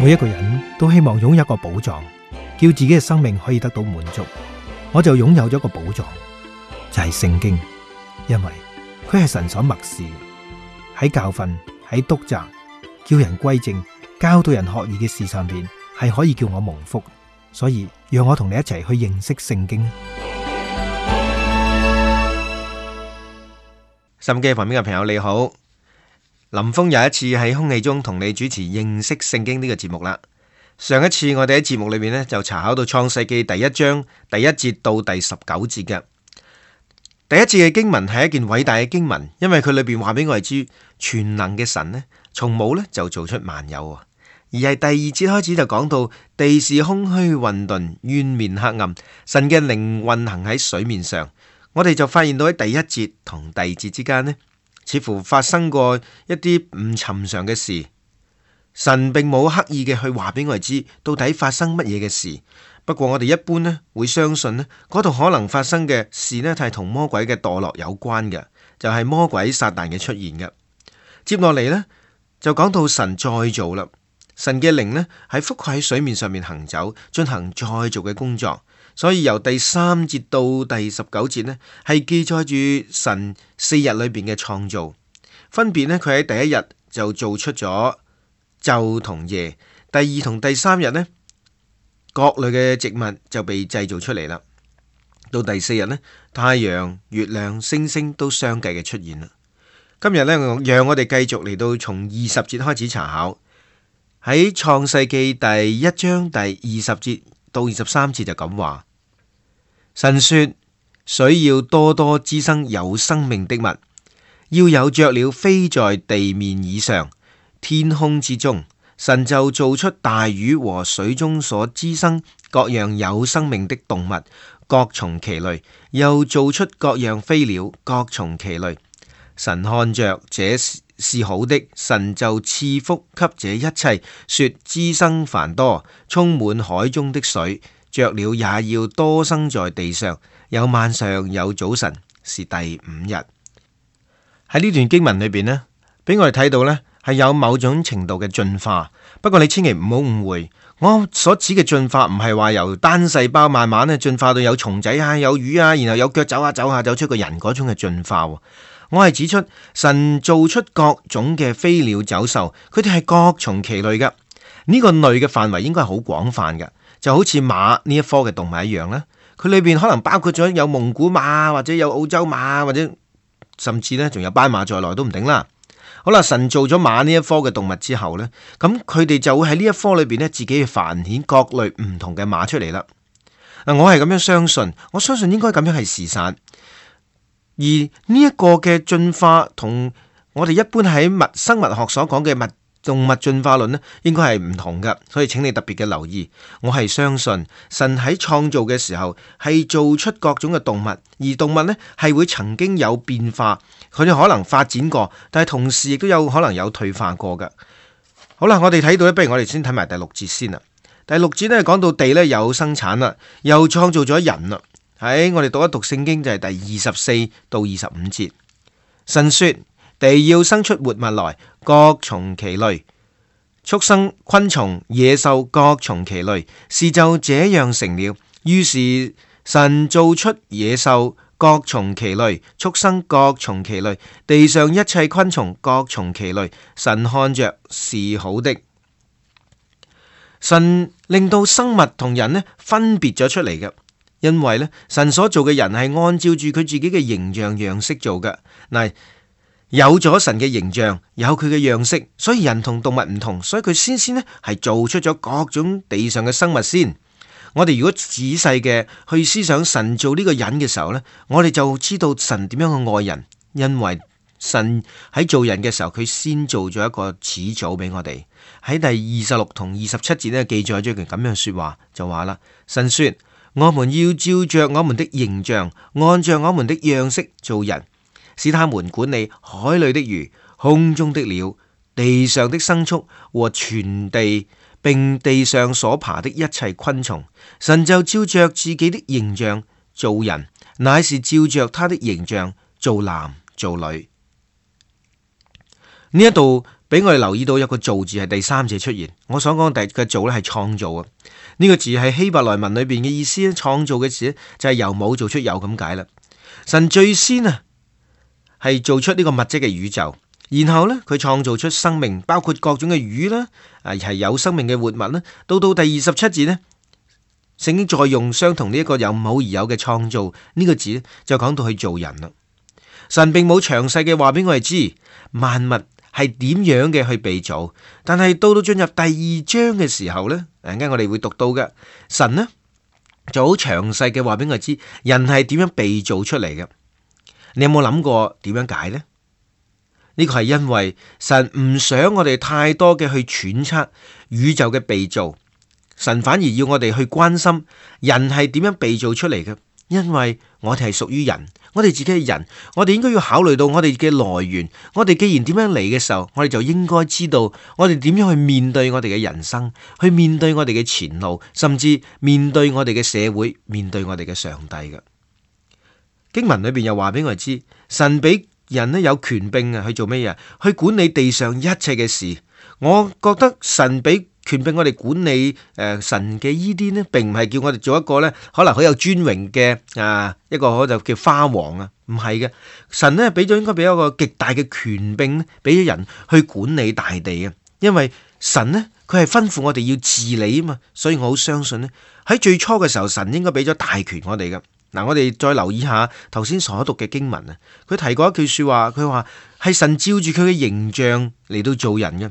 每一個人都希望擁有一個寶藏，叫自己嘅生命可以得到滿足。我就擁有咗一個寶藏，就係聖經，因為佢係神所默示，喺教訓、喺督責、叫人歸正、教導人學義嘅事上邊，係可以叫我蒙福。所以讓我同你一齊去認識聖經。收音機旁邊嘅朋友你好，林峰又一次喺空氣中同你主持認識聖經呢個節目啦。上一次我哋喺節目裏面呢，就查考到創世記第一章第1節到第19節嘅。第一節嘅經文係一件偉大嘅經文，因為佢裏邊話俾我哋知，全能嘅神呢，從冇呢就做出萬有，而係第2節開始就講到地是空虛混沌，淵面黑暗，神嘅靈運行喺水面上。我哋就發現到喺第1節同第2節之間呢，似乎發生過一啲唔尋常嘅事。神並冇刻意嘅去話俾我哋知到底發生乜嘢嘅事。不過我哋一般呢會相信呢嗰度可能發生嘅事呢係同魔鬼嘅墮落有關嘅，就係魔鬼撒旦嘅出現嘅。接落嚟呢，就講到神再造啦，神嘅靈呢係覆蓋喺水面上面行走，進行再造嘅工作。所以由第3節到第19節呢，係記載住神4日裏邊嘅創造，分別呢，佢喺第1日就做出咗晝同夜，第2同第3日呢，各類嘅植物就被製造出嚟啦。到第4日呢，太陽、月亮、星星都相繼嘅出現啦。今日呢，讓我哋繼續嚟到從20節開始查考，喺創世記第1章第20節到23節就咁話：神說，水要多多滋生有生命的物，要有雀鳥飛在地面以上，天空之中。神就造出大魚和水中所滋生各樣有生命的動物，各從其類，又造出各樣飛鳥，各從其類。神看着這是好的，神就賜福給這一切，說滋生繁多，充滿海中的水，雀鳥也要多生在地上。有晚上有早晨，是第5日。喺呢段經文裏邊呢，俾我哋睇到呢係有某種程度嘅進化。不過你千祈唔好誤會，我所指嘅進化唔係話由單細胞慢慢咧進化到有蟲仔啊、有魚啊，然後有腳走下走下走出個人嗰種嘅進化。我係指出神造出各種嘅飛鳥走獸，佢哋係各從其類噶。呢個類嘅範圍應該係好廣泛噶，就好似馬呢一科嘅動物一樣啦。佢裏邊可能包括咗有蒙古馬，或者有澳洲馬，或者甚至呢仲有斑馬在內都唔定啦。好啦，神做咗馬呢一科嘅動物之後呢，咁佢哋就會喺呢一科裏邊呢，自己去繁衍各類唔同嘅馬出嚟啦。嗱，我係咁樣相信，我相信應該咁樣係事實。而呢一個嘅進化同我哋一般喺生物學所講嘅動物進化論呢，應該係唔同㗎，所以請你特別嘅留意。我係相信神喺創造嘅時候係做出各種嘅動物，而動物呢係會曾經有變化，佢哋可能發展過，但係同時亦都有可能有退化過㗎。好啦，我哋睇到咧，不如我哋先睇埋第6節先啦。第6節呢講到地呢有生產啦，又創造咗人啦。喺我哋讀一讀聖經就係第24到25節，神說，地要生出活物來，各從其類，畜生、昆蟲、野獸各從其類，事就這樣成了。於是神造出野獸各從其類，畜生各從其類，地上一切昆蟲各從其類。神看着是好的。神令到生物同人呢分別咗出嚟嘅，因為呢神所做嘅人係按照住佢自己嘅形象樣式做嘅。嗱，有咗神嘅形象，有佢嘅樣式，所以人同動物唔同，所以佢先呢係做出咗各種地上嘅生物先。我哋如果仔細嘅去思想神做呢個人嘅時候呢，我哋就知道神點樣去愛人，因為神喺做人嘅時候，佢先做咗一個始祖俾我哋。喺第26同27節呢記載咗一句咁樣說話，就話啦，神說，我們要照着我們的形象，按照我們的樣式做人，使他們管理海裏的魚、空中的鳥、地上的牲畜和全地，並地上所爬的一切昆蟲。神就照着自己的形象做人，乃是照着他的形象做男做女。呢一度俾我哋留意到有個造字係第三者出現。我所講嘅造咧係創造啊，呢個字係希伯來文裏邊嘅意思咧，創造嘅字就係由冇做出有咁解啦。神最先啊係做出呢個物質嘅宇宙，然後呢，佢創造出生命，包括各種嘅魚啦，係有生命嘅活物啦。到第27節呢，聖經再用相同呢一個由冇而有嘅創造呢個字呢，就講到去做人啦。神並冇詳細嘅話俾我哋知萬物係點樣嘅去被造，但係到進入第2章嘅時候呢，陣間我哋會讀到嘅，神呢就好詳細嘅話俾我哋知人係點樣被造出嚟嘅。你有冇諗過點樣解呢？呢個係因為神唔想我哋太多嘅去揣測宇宙嘅被造，神反而要我哋去關心人係點樣被造出嚟嘅。因為我哋係屬於人，我哋自己係人，我哋應該要考慮到我哋嘅來源。我哋既然點樣嚟嘅時候，我哋就應該知道我哋點樣去面對我哋嘅人生，去面對我哋嘅前路，甚至面對我哋嘅社會，面對我哋嘅上帝嘅。經文裏邊又話俾我哋知，神俾人咧有權柄啊，去做咩嘢？去管理地上一切嘅事。我覺得神俾權柄我哋管理神嘅伊甸呢，並唔係叫我哋做一個呢可能好有尊榮嘅一個就叫花王啊，唔係嘅。神呢應該俾一個極大嘅權柄呢，俾咗人去管理大地啊。因為神呢，佢係吩咐我哋要治理啊嘛，所以我好相信呢，喺最初嘅時候，神應該俾咗大權我哋嘅。嗱，我哋再留意下頭先所讀嘅經文啊，佢提過一句說話，佢話係神照住佢嘅形象嚟到做人嘅。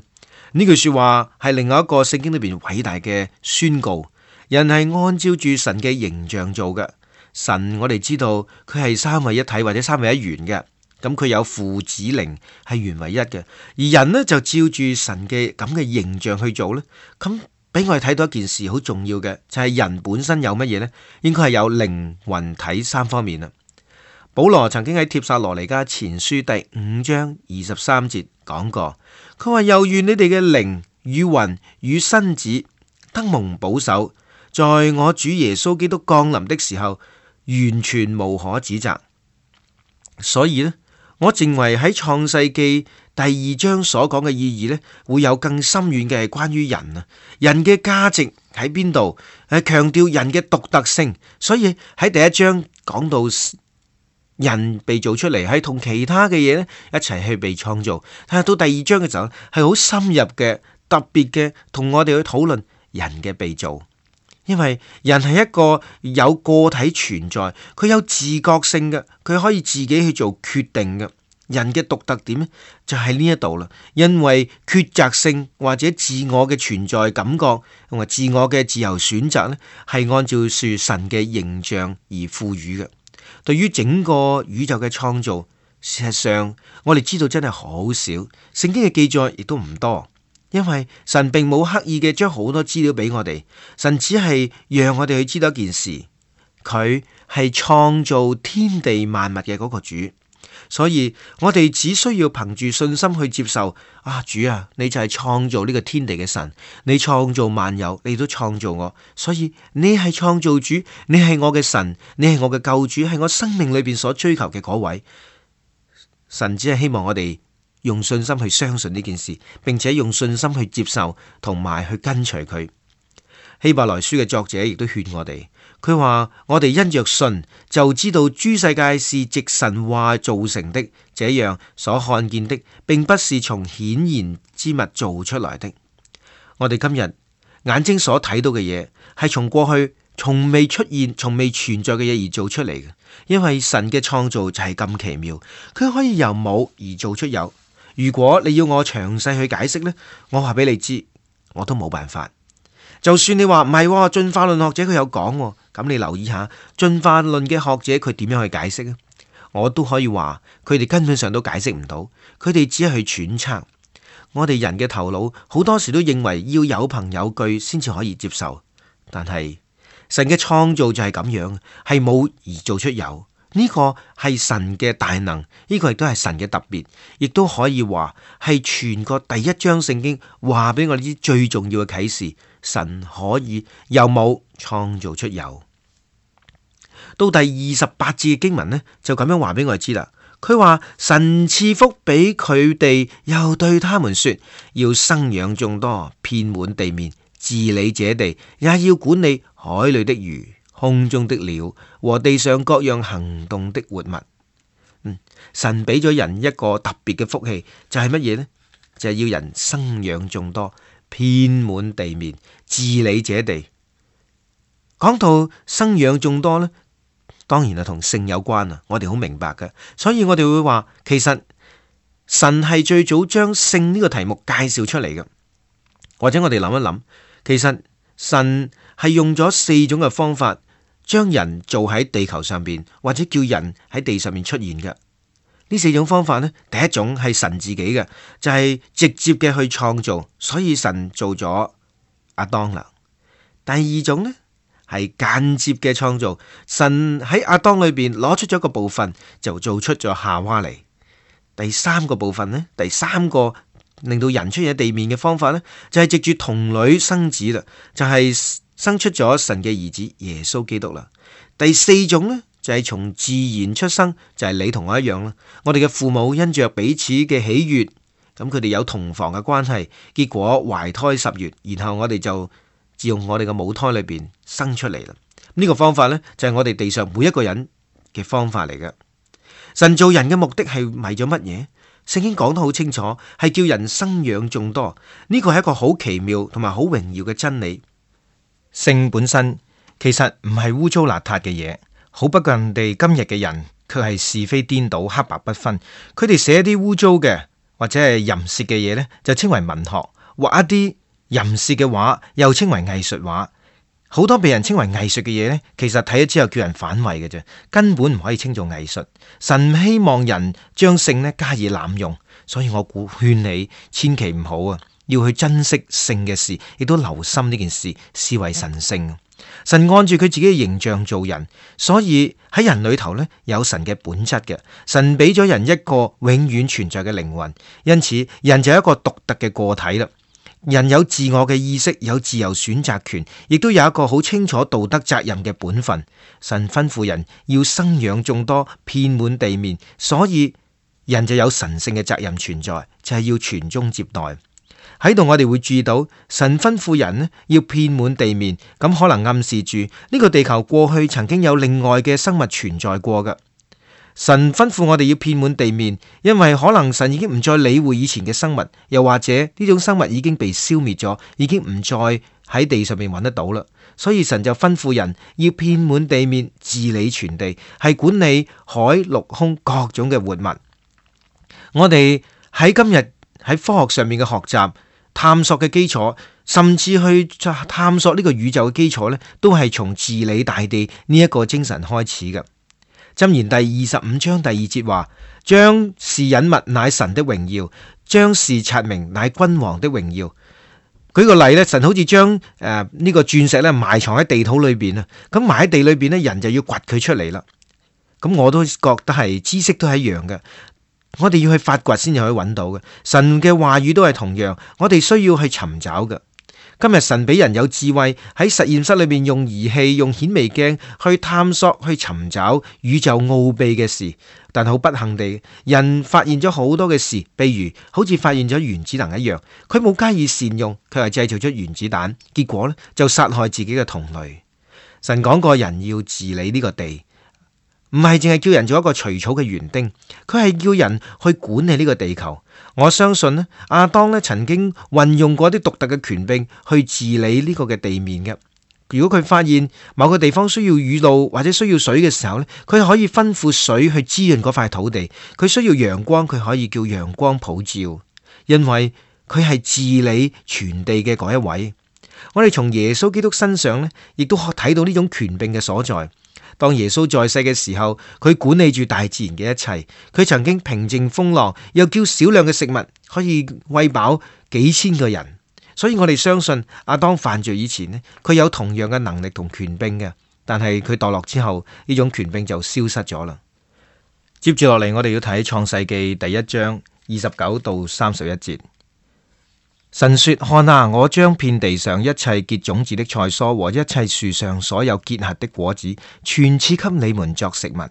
呢句說話係另外一個聖經裏邊偉大嘅宣告，人係按照住神嘅形象做嘅。神我哋知道佢係三位一體或者三位一元嘅，咁佢有父子靈係原為一嘅，而人呢，就照住神嘅咁嘅形象去做呢。咁俾我哋睇到一件事好重要嘅，就係人本身有乜嘢呢？應該係有靈魂體三方面啊。保羅曾經喺帖撒羅尼迦前書第5章23節講過，佢話又願你哋嘅靈與魂與身子得蒙保守，在我主耶穌基督降臨的時候，完全無可指責。所以呢，我認為喺創世記第2章所講嘅意義呢，會有更深遠嘅係關於人啊，人嘅價值喺邊度？係強調人嘅獨特性。所以喺第1章講到人被造出嚟，係同其他嘅嘢呢一齊去被創造。但係到第2章嘅時候，係好深入嘅、特別嘅，同我哋去討論人嘅被造。因為人係一個有個體存在，佢有自覺性嘅，佢可以自己去做決定嘅。人嘅獨特點呢，就喺呢一度啦。因為抉擇性或者自我嘅存在感覺同埋自我嘅自由選擇呢，係按照住神嘅形象而賦予嘅。對於整個宇宙嘅創造，事實上我哋知道真係好少，聖經嘅記載亦都唔多，因為神並冇刻意嘅將好多資料俾我哋，神只係讓我哋去知道一件事，佢係創造天地萬物嘅嗰個主。所以我哋只需要憑住信心去接受主啊，你就係創造呢個天地嘅神，你創造萬有，你都創造我，所以你係創造主，你係我嘅神，你係我嘅救主，係我生命裏邊所追求嘅嗰位。神只係希望我哋用信心去相信呢件事，並且用信心去接受同埋去跟隨佢。希伯來書嘅作者亦都勸我哋，佢話我哋因着信就知道諸世界是藉神話造成的，這樣所看見的並不是從顯然之物做出來的。我哋今日眼睛所睇到嘅嘢係從過去從未出現、從未存在嘅嘢而做出嚟嘅，因為神嘅創造就係咁奇妙，佢可以由冇而做出有。如果你要我詳細去解釋呢，我話俾你知，我都冇辦法。就算你話唔係，進化論學者佢有講，咁你留意下進化論嘅學者佢點樣去解釋呢？我都可以話佢哋根本上都解釋唔到，佢哋只係去揣測。我哋人嘅頭腦好多時都認為要有憑有據先至可以接受，但係神嘅創造就係咁樣，係冇而做出有。呢個係神嘅大能，呢個亦都係神嘅特別，亦都可以話係全個第1章聖經話俾我哋知最重要嘅啟示。神可以由冇創造出有。到第28節嘅經文呢，就咁樣話俾我哋知啦。佢話神賜福俾佢哋，又對他們說，要生養眾多，遍滿地面，治理這地，也要管理海裏的魚、空中的鳥和地上各樣行動的活物。神俾咗人一個特別嘅福氣，就係乜嘢呢？就係要人生養眾多，遍滿地面，治理這地。講到生養眾多呢，當然係同性有關啊！我哋好明白嘅，所以我哋會話，其實神係最早將性呢個題目介紹出嚟嘅。或者我哋諗一諗，其實神係用咗4種嘅方法，將人做喺地球上邊，或者叫人喺地上面出現嘅。呢4種方法呢，第一種係神自己嘅，就係直接嘅去創造，所以神做咗亞當啦。第二種呢，係間接嘅創造，神喺亞當裏邊攞出咗一個部分，就做出咗夏娃嚟。第3個部分呢，第3個令到人出現喺地面嘅方法呢，就係藉住童女生子啦，就係生出咗神嘅兒子耶穌基督啦。第4種呢，就係從自然出生，就係你同我一樣啦。我哋嘅父母因着彼此嘅喜悅，咁佢哋有同房嘅關係，結果懷胎10月，然後我哋就自用我哋嘅母胎裏邊生出嚟啦。呢個方法呢，就係我哋地上每一個人嘅方法嚟嘅。神造人嘅目的係為咗乜嘢？聖經講得好清楚，係叫人生養眾多。呢個係一個好奇妙同埋好榮耀嘅真理。性本身其實唔係污糟邋遢嘅嘢。好不過人哋今日嘅人卻係是非顛倒、黑白不分。佢哋寫啲污糟嘅或者係淫褻嘅嘢呢，就稱為文學；畫一啲淫褻嘅畫，又稱為藝術畫。好多被人稱為藝術嘅嘢呢，其實睇咗之後叫人反胃嘅啫，根本唔可以稱做藝術。神唔希望人將性呢加以濫用，所以我勸你千祈唔好啊，要去珍惜性嘅事，亦都留心呢件事，視為神聖。神按住佢自己嘅形象做人，所以喺人裏頭呢，有神嘅本質嘅。神俾咗人一個永遠存在嘅靈魂，因此人就係一個獨特嘅個體啦。人有自我嘅意識，有自由選擇權，亦都有一個好清楚道德責任嘅本分。神吩咐人要生養眾多，遍滿地面，所以人就有神聖嘅責任存在，就係要傳宗接代。喺度我哋會注意到，神吩咐人呢要遍滿地面，咁可能暗示住呢個地球過去曾經有另外嘅生物存在過㗎。神吩咐我哋要遍滿地面，因為可能神已經唔再理會以前嘅生物，又或者呢種生物已經被消滅咗，已經唔再喺地上面揾得到啦。所以神就吩咐人要遍滿地面，治理全地，係管理海陸空各種嘅活物。我哋喺今日喺科學上面嘅學習、探索嘅基礎，甚至去探索呢個宇宙嘅基礎呢，都係從治理大地呢一個精神開始嘅。箴言第25章第2節話：將事隱密乃神的榮耀，將事察明乃君王的榮耀。舉個例咧，神好似將呢個鑽石咧埋藏喺地土裏邊啊，咁埋喺地裏邊咧，人就要掘佢出嚟啦。咁我都覺得係知識都係一樣嘅，我哋要去發掘先至可以揾到嘅。神嘅話語都係同樣，我哋需要去尋找嘅。今日神俾人有智慧，喺實驗室裏面用儀器、用顯微鏡去探索、去尋找宇宙奧秘嘅事，但好不幸地，人發現咗好多嘅事，譬如好似發現咗原子能一樣，佢冇加以善用，佢係製造咗原子彈，結果呢就殺害自己嘅同類。神講過人要治理呢個地，唔係淨係叫人做一個除草嘅園丁，佢係叫人去管理呢個地球。我相信呢，亞當呢曾經運用過啲獨特嘅權柄去治理呢個嘅地面嘅。如果佢發現某個地方需要雨露或者需要水嘅時候呢，佢可以吩咐水去滋潤嗰塊土地。佢需要陽光，佢可以叫陽光普照，因為佢係治理全地嘅嗰一位。我哋從耶穌基督身上呢，亦都睇到呢種權柄嘅所在。當耶穌在世嘅時候，佢管理住大自然嘅一切，佢曾經平靜風浪，又叫少量嘅食物可以餵飽幾千個人。所以我哋相信亞當犯罪以前呢，佢有同樣嘅能力同權柄嘅，但係佢墮落之後，呢種權柄就消失咗啦。接住落嚟，我哋要睇創世記第1章29到31節。神說：看啊，我將遍地上一切結種子的菜蔬和一切樹上所有結核的果子，全賜給你們作食物。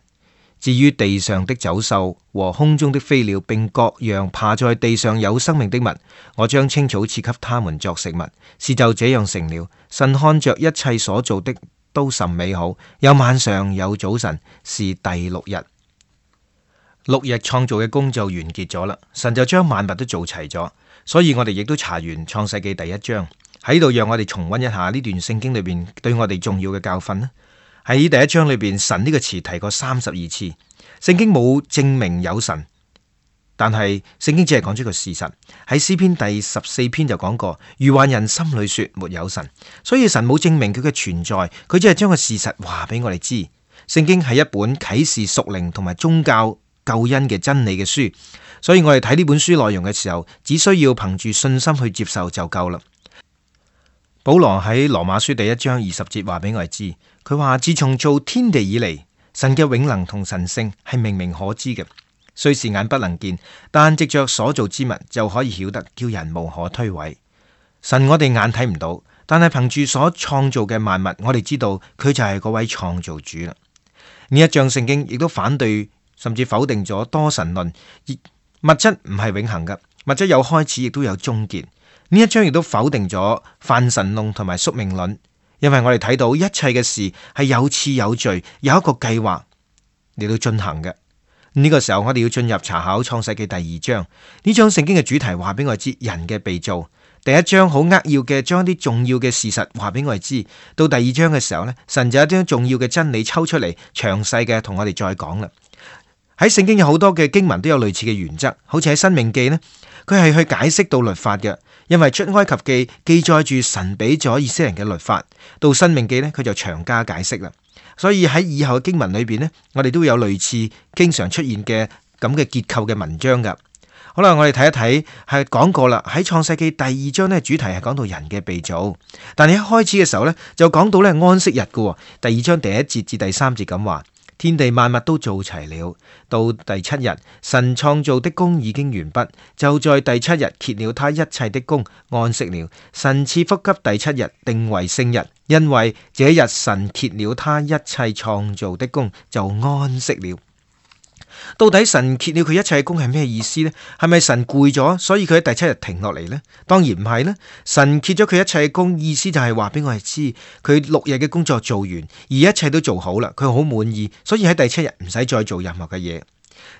至於地上的走獸和空中的飛鳥，並各樣爬在地上有生命的物，我將青草賜給他們作食物。事就這樣成了。神看着一切所做的都甚美好，有晚上有早晨，是第六日。6日創造嘅工就完結咗啦，神就將萬物都做齊咗。所以我哋亦都查完創世記第1章，喺度讓我哋重溫一下呢段聖經裏邊對我哋重要嘅教訓啦。喺第1章裏邊，神呢個詞提過32次，聖經冇證明有神，但係聖經只係講出個事實。喺詩篇第14篇就講過，愚頑人心裏說沒有神，所以神冇證明佢嘅存在，佢只係將個事實話俾我哋知。聖經係一本啟示屬靈同埋宗教救恩嘅真理嘅書，所以我哋睇呢本書內容嘅時候，只需要憑住信心去接受就夠啦。保羅喺羅馬書第1章20節話俾我哋知，佢話自從造天地以嚟，神嘅永能同神性係明明可知嘅，雖是眼不能見，但藉着所造之物就可以曉得，叫人無可推諉。神我哋眼睇唔到，但係憑住所創造嘅萬物，我哋知道佢就係嗰位創造主啦。呢一章聖經亦都反對甚至否定咗多神論，物質唔係永恆嘅，物質有開始亦都有終結。呢一章亦都否定咗泛神論同埋宿命論，因為我哋睇到一切嘅事係有次有序，有一個計劃嚟到進行嘅。呢個時候我哋要進入查考創世記第2章，呢章聖經嘅主題話俾我哋知人嘅被造。第1章好扼要嘅將啲重要嘅事實話俾我哋知，到第2章嘅時候呢，神就有啲重要嘅真理抽出嚟，詳細嘅同我哋再講啦。喺聖經有好多嘅經文都有類似嘅原則，好似喺申命記呢，佢係去解釋到律法嘅，因為出埃及記記載住神俾咗以色列人嘅律法，到申命記呢，佢就長加解釋啦。所以喺以後嘅經文裏邊呢，我哋都有類似經常出現嘅咁嘅結構嘅文章噶。好啦，我哋睇一睇，係講過啦，喺創世記第2章呢，主題係講到人嘅被造，但係一開始嘅時候呢，就講到呢安息日噶。第2章第1節至第3節咁話。天地萬物都做齊了，到第7日，神創造的工已經完畢，就在第7日歇了他一切的工，安息了。神賜福給第7日，定為聖日，因為這日神歇了他一切創造的工，就安息了。到底神歇了佢一切嘅工係咩意思呢？係咪神攰咗，所以佢喺第7日停落嚟呢？當然唔係啦。神歇咗佢一切嘅工，意思就係話俾我哋知，佢6日嘅工作做完，而一切都做好啦，佢好滿意，所以喺第7日唔使再做任何嘅嘢。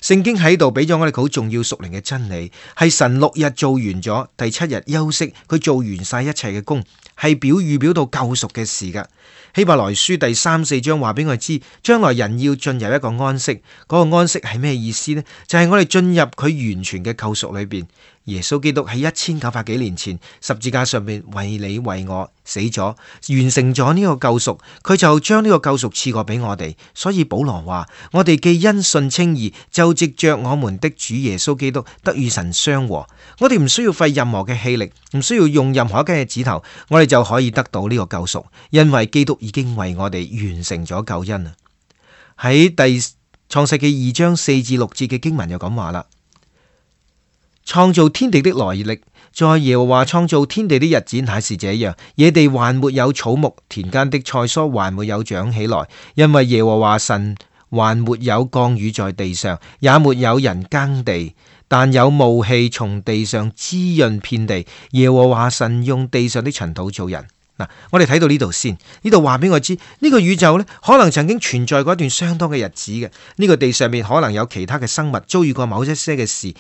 聖經喺度俾咗我哋好重要屬靈嘅真理，係神6日做完咗，第7日休息，佢做完晒一切嘅工，係預表到救贖嘅事噶。希伯來書第3、4章話俾我哋知，將來人要進入一個安息，嗰個安息係咩意思呢？就係我哋進入佢完全嘅救贖裏邊。耶穌基督喺1900幾年前十字架上面為你為我死咗，完成咗呢個救贖，佢就將呢個救贖賜過俾我哋。所以保羅話：我哋既因信稱義，就藉着我們的主耶穌基督得與神相和。我哋唔需要費任何嘅氣力，唔需要用任何一根嘅指頭，我哋就可以得到呢個救贖，因為基督已經為我哋完成咗救恩啊！喺第創世記2章4至6節嘅經文就咁話啦。創造天地的來歷，在耶和華創造天地的日子乃是這樣，野地還沒有草木，田間的菜蔬還沒有長起來，因為耶和華神還沒有降雨在地上，也沒有人耕地，但有霧氣從地上滋潤遍地。耶和華神用地上的塵土造人。嗱，我哋睇到呢度先，呢度話俾我知，呢個宇宙呢，可能曾經存在過一段相當嘅日子嘅，呢個地上面可能有其他嘅生物遭遇過某一些嘅事。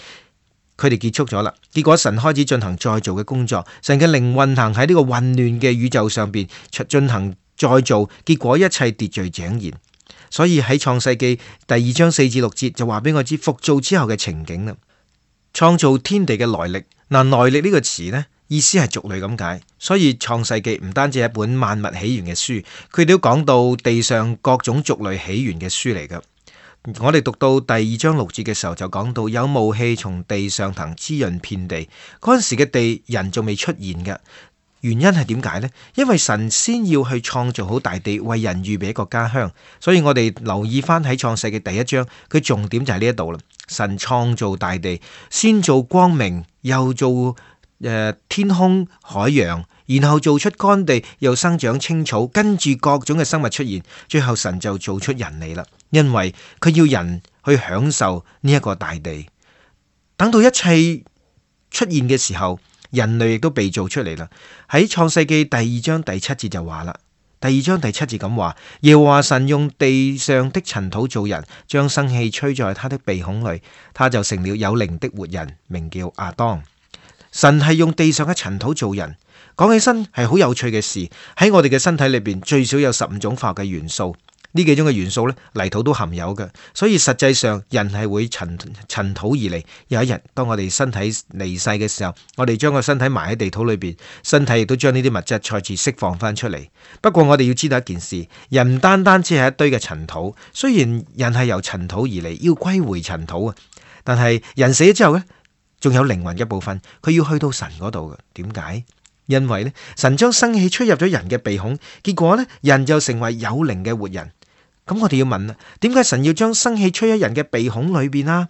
佢哋結束咗啦，結果神開始進行再造嘅工作，神嘅靈運行喺呢個混亂嘅宇宙上邊進行再造，結果一切秩序井然。所以喺創世記第2章4至6節就話俾我知復造之後嘅情景啦。創造天地嘅來歷，嗱，來歷呢個詞呢，意思係族類咁解，所以創世記唔單止係一本萬物起源嘅書，佢都講到地上各種族類起源嘅書嚟噶。我哋讀到第2章6節嘅時候就講到有霧氣從地上騰滋潤遍地，嗰陣時嘅地人仲未出現嘅，原因係點解呢？因為神先要去創造好大地，為人預備一個家鄉，所以我哋留意翻喺創世記第1章，佢重點就係呢一度啦。神創造大地，先做光明，又做天空海洋，然後做出乾地，又生長青草，跟住各種嘅生物出現，最後神就做出人嚟啦。因為佢要人去享受呢一個大地。等到一切出現嘅時候，人類亦都被造出嚟啦。喺創世記第2章第7節就話啦，第2章第7節咁話：耶和華神用地上的塵土造人，將生氣吹在他的鼻孔裏，他就成了有靈的活人，名叫亞當。神係用地上嘅塵土造人，講起身係好有趣嘅事。喺我哋嘅身體裏邊，最少有15種化學嘅元素。呢幾種嘅元素咧，泥土都含有嘅，所以實際上人係會塵土而嚟。有一日，當我哋身體離世嘅時候，我哋將個身體埋喺地土裏邊，身體亦都將呢啲物質再次釋放翻出嚟。不過我哋要知道一件事，人唔單單只係一堆嘅塵土，雖然人係由塵土而嚟，要歸回塵土啊，但係人死咗之後咧，仲有靈魂嘅部分，佢要去到神嗰度嘅。點解？因為咧，神將生氣吹入咗人嘅鼻孔，結果咧，人就成為有靈嘅活人。咁我哋要問啦，點解神要將生氣吹喺人嘅鼻孔裏邊啊？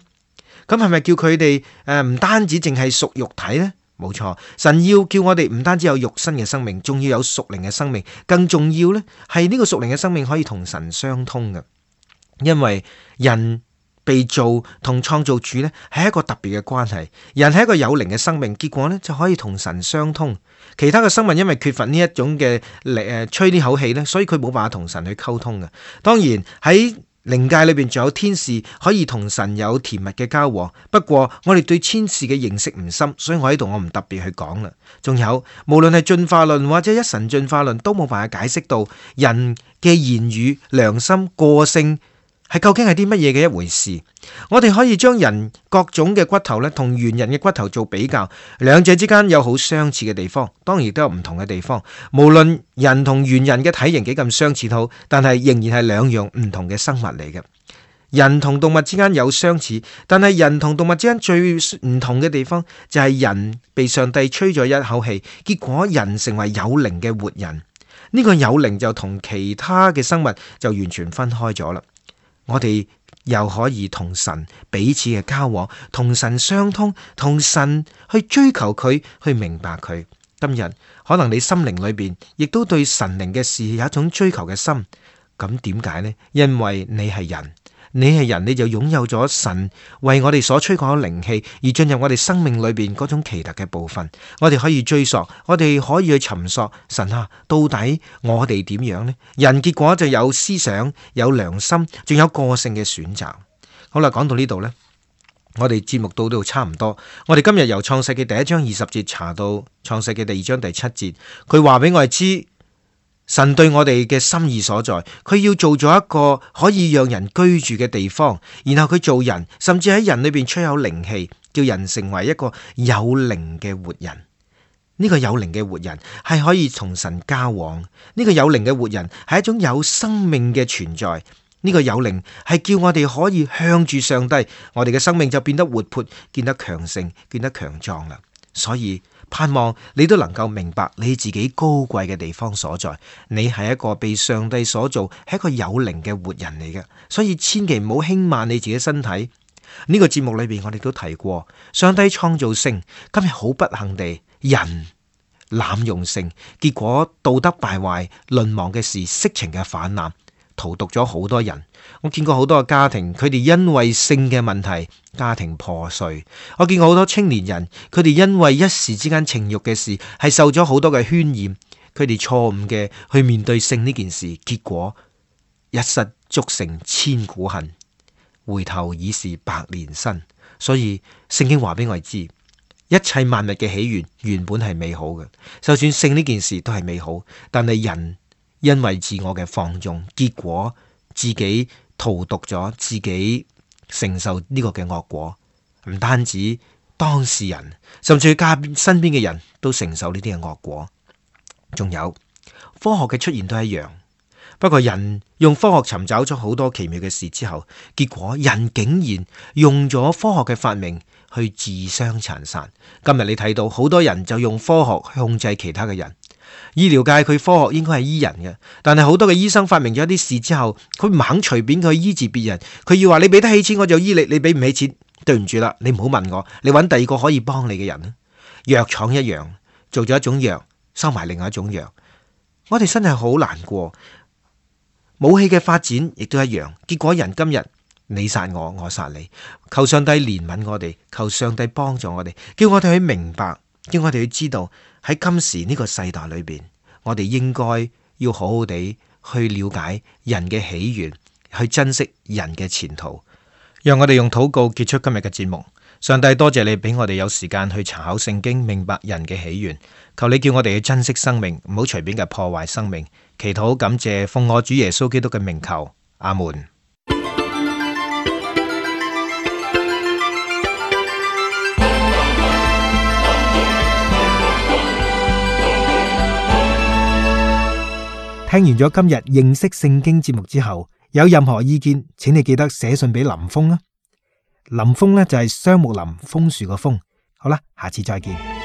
咁係咪叫佢哋唔單止淨係屬肉體呢？冇錯，神要叫我哋唔單止有肉身嘅生命，仲要有屬靈嘅生命。更重要呢，係呢個屬靈嘅生命可以同神相通嘅。因為人被造同創造主呢係一個特別嘅關係，人係一個有靈嘅生命，結果呢就可以同神相通。其他嘅生物因為缺乏呢一種嘅吹呢口氣呢，所以佢冇辦法同神去溝通嘅。當然喺靈界裏邊仲有天使可以同神有甜蜜嘅交往，不過我哋對天使嘅認識唔深，所以我喺度我唔特別去講啦。仲有無論係進化論或者一神進化論，都冇辦法解釋到人嘅言語、良心、個性係究竟係啲乜嘢嘅一回事。我哋可以將人各種嘅骨頭咧同猿人嘅骨頭做比較，兩者之間有好相似嘅地方，當然亦都有唔同嘅地方。無論人同猿人嘅體型幾咁相似好，但係仍然係兩樣唔同嘅生物嚟嘅。人同動物之間有相似，但係人同動物之間最唔同嘅地方就係人被上帝吹咗一口氣，結果人成為有靈嘅活人。呢個有靈就同其他嘅生物就完全分開咗啦。我哋又可以同神彼此嘅交往，同神相通，同神去追求佢，去明白佢。今日可能你心靈裏邊亦都對神靈嘅事有一種追求嘅心，咁點解呢？因為你係人，你就擁有咗神為我哋所吹過嘅靈氣，而進入我哋生命裏邊嗰種奇特嘅部分。我哋可以追溯，我哋可以去尋索神啊，到底我哋點樣呢？人結果就有思想、有良心，仲有個性嘅選擇。好啦，講到呢度呢，我哋節目到呢度差唔多。我哋今日由創世記第1章20節查到創世記第2章第7節，佢話俾我哋知。神對我哋嘅心意所在，佢要做咗一個可以讓人居住嘅地方，然後佢做人，甚至喺人裏邊吹有靈氣，叫人成為一個有靈嘅活人。呢個有靈嘅活人係可以同神交往，呢個有靈嘅活人係一種有生命嘅存在。呢個有靈係叫我哋可以向住上帝，我哋嘅生命就變得活潑，變得強盛，變得強壯啦。所以盼望你都能夠明白你自己高貴嘅地方所在，你係一個被上帝所造，係一個有靈嘅活人嚟嘅。所以千祈唔好輕慢你自己身體。呢個節目裏邊我哋都提過，上帝創造性，今日好不幸地人濫用性，結果道德敗壞、淪亡嘅事，色情嘅氾濫，荼毒咗好多人。我見過好多個家庭，佢哋因為性嘅問題，家庭破碎。我見過好多青年人，佢哋因為一時之間情慾嘅事，係受咗好多嘅渲染，佢哋錯誤嘅去面對性呢件事，結果一失足成千古恨，回頭已是百年身。所以聖經話俾我哋知，一切萬物嘅起源原本係美好嘅，就算性呢件事都係美好，但係人因為自我嘅放縱，結果自己荼毒咗自己，承受呢個嘅惡果。唔單止當事人，甚至家身邊嘅人都承受呢啲嘅惡果。仲有科學嘅出現都一樣，不過人用科學尋找咗好多奇妙嘅事之後，結果人竟然用咗科學嘅發明去自相殘殺。今日你睇到好多人就用科學去控制其他嘅人。醫療界佢科學應該係醫人嘅，但係好多嘅醫生發明咗一啲事之後，佢唔肯隨便去醫治別人，佢要話你俾得起錢我就醫你，你俾唔起錢，對唔住啦，你唔好問我，你揾第二個可以幫你嘅人。藥廠一樣，做咗一種藥，收埋另外一種藥。我哋真係好難過。武器嘅發展亦都一樣，結果人今日你殺我，我殺你。求上帝憐憫我哋，求上帝幫助我哋，叫我哋去明白，叫我哋去知道喺今時呢個世代裏邊，我哋應該要好好地去了解人嘅起源，去珍惜人嘅前途。讓我哋用禱告結束今日嘅節目。上帝多謝你俾我哋有時間去查考聖經，明白人嘅起源。求你叫我哋去珍惜生命，唔好隨便嘅破壞生命。祈禱感謝，奉我主耶穌基督嘅名求，阿門。聽完咗今日認識聖經節目之後，有任何意見，請你記得寫信俾林峰啊。林峰呢就係雙木林楓樹個楓。好啦，下次再見。